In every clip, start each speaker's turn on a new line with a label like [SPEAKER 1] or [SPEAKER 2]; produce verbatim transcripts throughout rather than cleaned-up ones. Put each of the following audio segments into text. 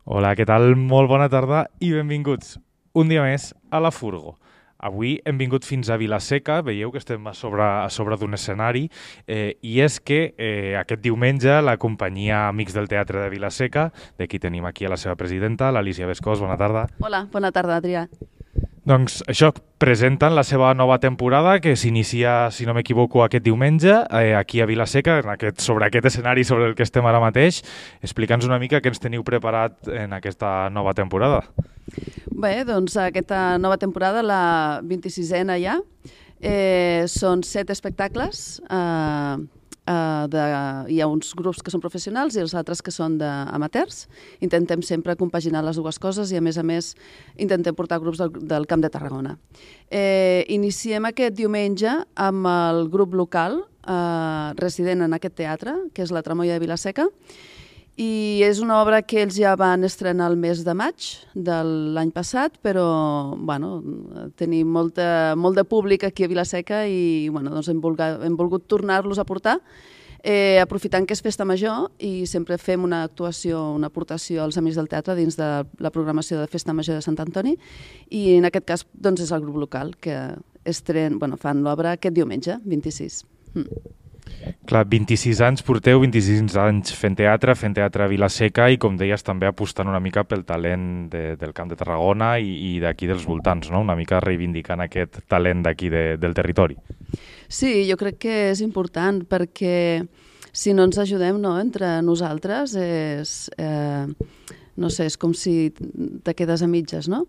[SPEAKER 1] Hola, què tal? Molt bona tarda i benvinguts un dia més a La Furgo. Avui hem vingut fins a Vila-seca, veieu que estem a sobre, a sobre d'un escenari, eh, i és que eh, aquest diumenge la companyia Amics del Teatre de Vila-seca, d'aquí tenim aquí a la seva presidenta, l'Alicia Bescós, bona tarda.
[SPEAKER 2] Hola, bona tarda, Adrià.
[SPEAKER 1] Doncs això, presenten la seva nova temporada que s'inicia, si no m'equivoco, aquest diumenge, eh, aquí a Vila-seca, en aquest, sobre aquest escenari sobre el que estem ara mateix. Explica'ns una mica què ens teniu preparat en aquesta nova temporada.
[SPEAKER 2] Bé, doncs aquesta nova temporada, la vint-i-sisena ja, eh, són set espectacles. Eh, eh, de, hi ha uns grups que són professionals i els altres que són d'amateurs. Intentem sempre compaginar les dues coses i, a més a més, intentem portar grups del, del Camp de Tarragona. Eh, iniciem aquest diumenge amb el grup local eh, resident en aquest teatre, que és la Tramoia de Vila-seca, i és una obra que ells ja van estrenar el mes de maig de l'any passat, però bueno, tenim molta, molt de públic aquí a Vila-seca i bueno, doncs hem, volgut, hem volgut tornar-los a portar, eh, aprofitant que és festa major i sempre fem una actuació, una aportació als Amics del Teatre dins de la programació de Festa Major de Sant Antoni, i en aquest cas doncs, és el grup local que estren, bueno, fan l'obra aquest diumenge, vint-i-sis. Mm.
[SPEAKER 1] Clar, vint-i-sis anys porteu, vint-i-sis anys fent teatre, fent teatre a Vila-seca i, com deies, també apostant una mica pel talent de, del Camp de Tarragona i, i d'aquí dels voltants, no? Una mica reivindicant aquest talent d'aquí de, del territori.
[SPEAKER 2] Sí, jo crec que és important perquè si no ens ajudem, no, entre nosaltres és... Eh, no sé, és com si te quedes a mitges, no?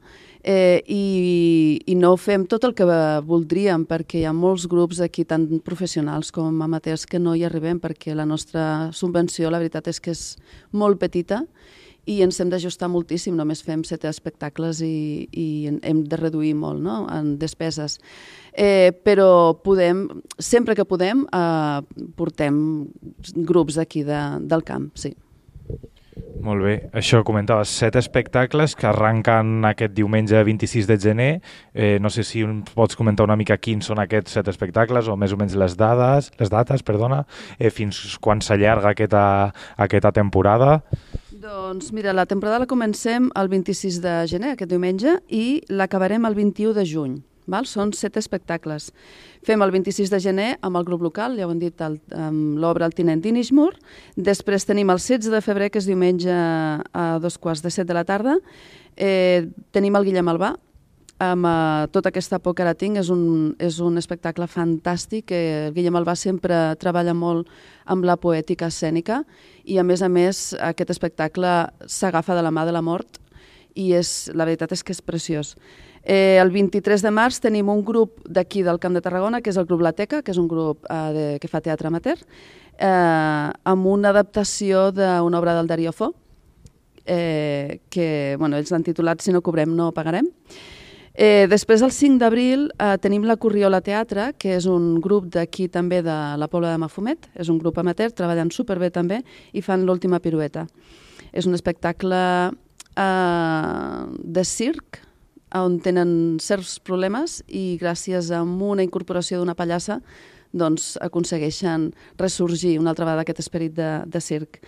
[SPEAKER 2] Eh, i, I no fem tot el que voldríem, perquè hi ha molts grups aquí, tant professionals com amateurs, que no hi arribem, perquè la nostra subvenció, la veritat és que és molt petita i ens hem d'ajustar moltíssim, només fem set espectacles i, i hem de reduir molt, no?, en despeses. Eh, però podem, sempre que podem, eh, portem grups aquí de, del camp, sí.
[SPEAKER 1] Molt bé. Això comentaves, set espectacles que arranquen aquest diumenge vint-i-sis de gener. Eh, no sé si pots comentar una mica quins són aquests set espectacles o més o menys les dades, les dates, perdona, eh, fins quan s'allarga aquesta, aquesta temporada.
[SPEAKER 2] Doncs mira, la temporada la comencem el vint-i-sis de gener, aquest diumenge, i l'acabarem el vint-i-u de juny. Val? Són set espectacles. Fem el vint-i-sis de gener amb el grup local, ja ho hem dit, el, amb l'obra El tinent d'Inishmur. Després tenim el setze de febrer, que és diumenge a dos quarts de set de la tarda. Eh, tenim el Guillem Albà, amb uh, tota aquesta por que ara tinc. És un, és un espectacle fantàstic. Eh, el Guillem Albà sempre treballa molt amb la poètica escènica i, a més a més, aquest espectacle s'agafa de la mà de la mort i és, la veritat és que és preciós. Eh, el vint-i-tres de març tenim un grup d'aquí del Camp de Tarragona, que és el grup La Teca, que és un grup eh, de, que fa teatre amateur, eh, amb una adaptació d'una obra del Darío Fo, eh, que bueno, ells l'han titulat Si no cobrem no pagarem. Eh, després, el cinc d'abril, eh, tenim la Corriola Teatre, que és un grup d'aquí també de la Pobla de Mafumet, és un grup amateur, treballant superbé també, i fan l'última pirueta. És un espectacle eh, de circ, on tenen certs problemes i gràcies a una incorporació d'una pallassa doncs aconsegueixen ressorgir una altra vegada aquest esperit de, de circ.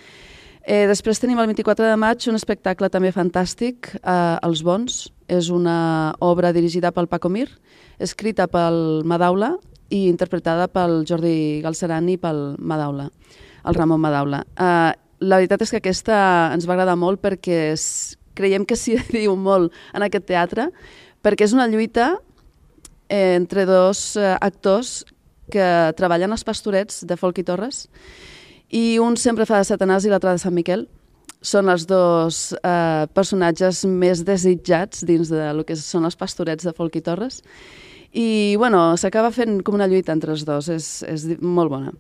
[SPEAKER 2] Eh, després tenim el vint-i-quatre de maig un espectacle també fantàstic, eh, Els Bons. És una obra dirigida pel Paco Mir, escrita pel Madaula i interpretada pel Jordi Galceran i pel Madaula, el Ramon Madaula. Eh, la veritat és que aquesta ens va agradar molt perquè és creiem que s'hi diu molt en aquest teatre, perquè és una lluita eh, entre dos eh, actors que treballen als Pastorets de Folch i Torres, i un sempre fa de Satanàs i l'altre de Sant Miquel. Són els dos eh, personatges més desitjats dins de lo que són els Pastorets de Folch i Torres, i bueno, s'acaba fent com una lluita entre els dos, és, és molt bona.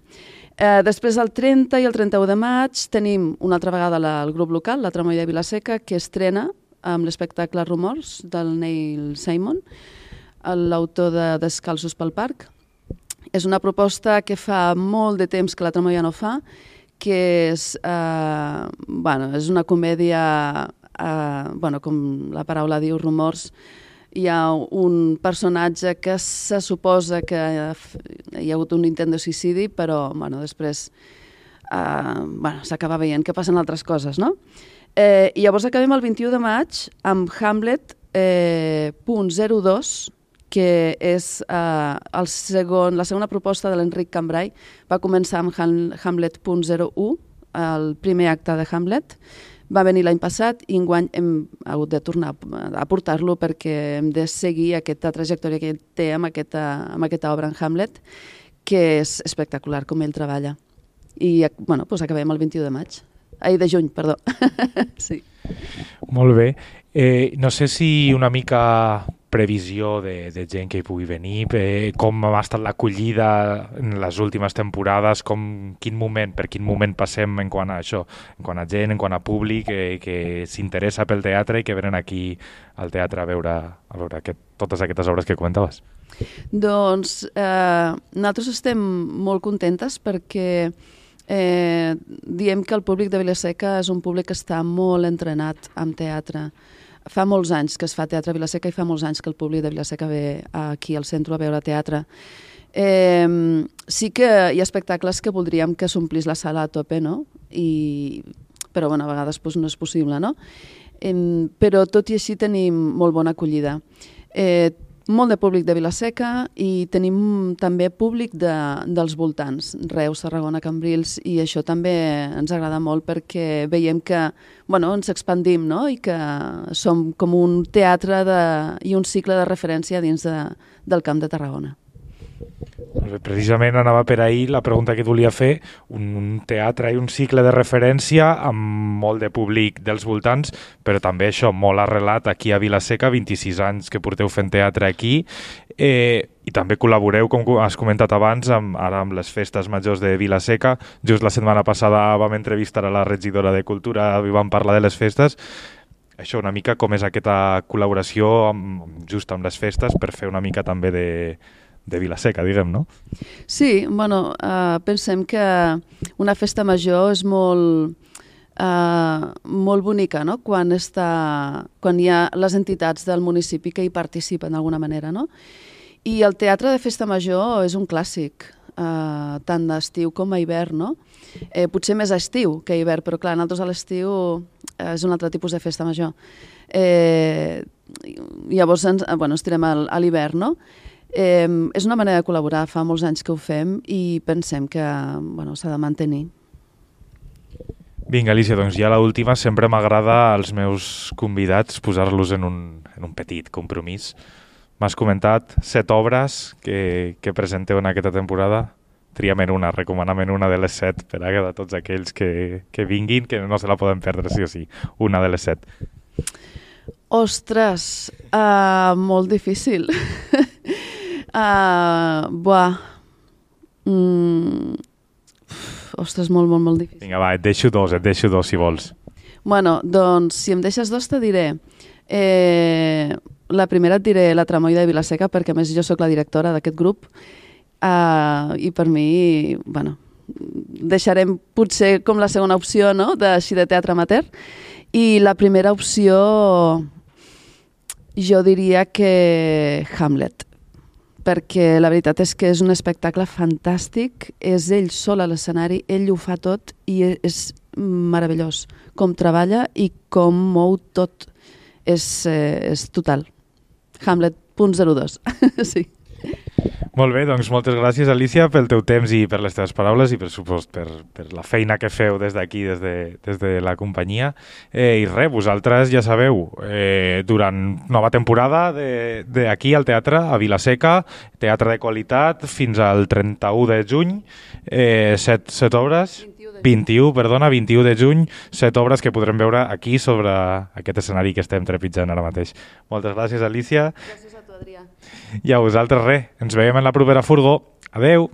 [SPEAKER 2] Eh, després, el trenta i el trenta-u de maig, tenim una altra vegada la, el grup local, la Tramoia de Vila-seca, que estrena amb l'espectacle Rumors, del Neil Simon, l'autor de Descalços pel Parc. És una proposta que fa molt de temps que la Tramoia no fa, que és, eh, bueno, és una comèdia, eh, bueno, com la paraula diu, Rumors. Hi ha un personatge que se suposa que hi ha hagut un intent de suïcidi, però bueno, després eh, bueno, s'acaba veient que passen altres coses, no? Eh, I llavors acabem el vint-i-u de maig amb Hamlet eh, punt zero dos, que és eh, el segon, la segona proposta de l'Enric Cambrai. Va començar amb Ham, Hamlet punt zero u, el primer acte de Hamlet. Va venir l'any passat i enguany hem hagut de tornar a portar-lo perquè hem de seguir aquesta trajectòria que ell té amb aquesta, amb aquesta obra en Hamlet, que és espectacular com ell treballa. I bueno, doncs acabem el vint-i-u de maig. Ai, de juny, perdó. Sí.
[SPEAKER 1] Molt bé. Eh, no sé si una mica previsió de, de gent que hi pugui venir, eh, com ha estat l'acollida en les últimes temporades, com, quin moment, per quin moment passem en quant a això, en quant a gent, en quant a públic que, que s'interessa pel teatre i que venen aquí al teatre a veure, a veure aquest, totes aquestes obres que comentaves.
[SPEAKER 2] Doncs eh, nosaltres estem molt contentes perquè eh, diem que el públic de Vila-seca és un públic que està molt entrenat amb teatre. Fa molts anys que es fa teatre a Vila-seca i fa molts anys que el públic de Vila-seca ve aquí al centre a veure teatre. Eh, sí que hi ha espectacles que voldríem que s'omplís la sala a tope, no? I, però bueno, a vegades pues, no és possible, no? Eh, però tot i així tenim molt bona acollida. Eh, molt de públic de Vila-seca i tenim també públic de, dels voltants, Reus, Tarragona, Cambrils, i això també ens agrada molt perquè veiem que bueno, ens expandim, no? I que som com un teatre de, i un cicle de referència dins de, del Camp de Tarragona.
[SPEAKER 1] Precisament anava per ahir la pregunta que et volia fer, un, un teatre i un cicle de referència amb molt de públic dels voltants, però també això, molt arrelat aquí a Vila-seca, vint-i-sis anys que porteu fent teatre aquí, eh, i també col·laboreu, com has comentat abans, amb, ara amb les festes majors de Vila-seca. Just la setmana passada vam entrevistar a la regidora de Cultura i vam parlar de les festes. Això, una mica com és aquesta col·laboració amb, just amb les festes per fer una mica també de de Vila-seca, diguem, no?
[SPEAKER 2] Sí, bueno, uh, pensem que una festa major és molt, uh, molt bonica, no? Quan, està, quan hi ha les entitats del municipi que hi participen d'alguna manera, no? I el teatre de festa major és un clàssic, uh, tant d'estiu com a hivern, no? Eh, potser més a estiu que a hivern, però clar, nosaltres a l'estiu eh, és un altre tipus de festa major. Eh, llavors ens, bueno, ens tirem a l'hivern, no? Eh, és una manera de col·laborar, fa molts anys que ho fem i pensem que bueno, s'ha de mantenir.
[SPEAKER 1] Vinga, Alicia, doncs ja l'última, sempre m'agrada als meus convidats posar-los en, un, en un petit compromís. M'has comentat set obres que, que presenteu en aquesta temporada. Triem en una, recomanam en una de les set per a tots aquells que, que vinguin, que no se la poden perdre, sí o sí, una de les set.
[SPEAKER 2] Ostres, uh, molt difícil. Uh, buah. Mm. Ostres, molt, molt, molt difícil.
[SPEAKER 1] Vinga, va, et deixo dos, et deixo dos, si vols.
[SPEAKER 2] Bueno, doncs, si em deixes dos, te diré. Eh, la primera et diré La Tramoia de Vila-seca, perquè a més jo sóc la directora d'aquest grup, uh, i per mi, bueno, deixarem potser com la segona opció, no?, de, així de teatre amateur, i la primera opció jo diria que Hamlet, perquè la veritat és que és un espectacle fantàstic, és ell sol a l'escenari, ell ho fa tot i és meravellós com treballa i com mou tot, és, eh, és total. Hamlet punt zero dos, sí.
[SPEAKER 1] Molt bé, doncs moltes gràcies, Alicia, pel teu temps i per les teves paraules i per supost per, per la feina que feu des d'aquí, des, de, des de la companyia. Eh, I res, vosaltres ja sabeu, eh, durant nova temporada d'aquí al teatre, a Vila-seca, teatre de qualitat, fins al trenta-u de juny, eh, set, set obres... vint-i-u, perdona, vint-i-u de juny, set obres que podrem veure aquí sobre aquest escenari que estem trepitjant ara mateix. Moltes gràcies, Alicia.
[SPEAKER 2] Gràcies a tu, Adrià.
[SPEAKER 1] I a vosaltres res, ens veiem en la propera furgó. Adeu!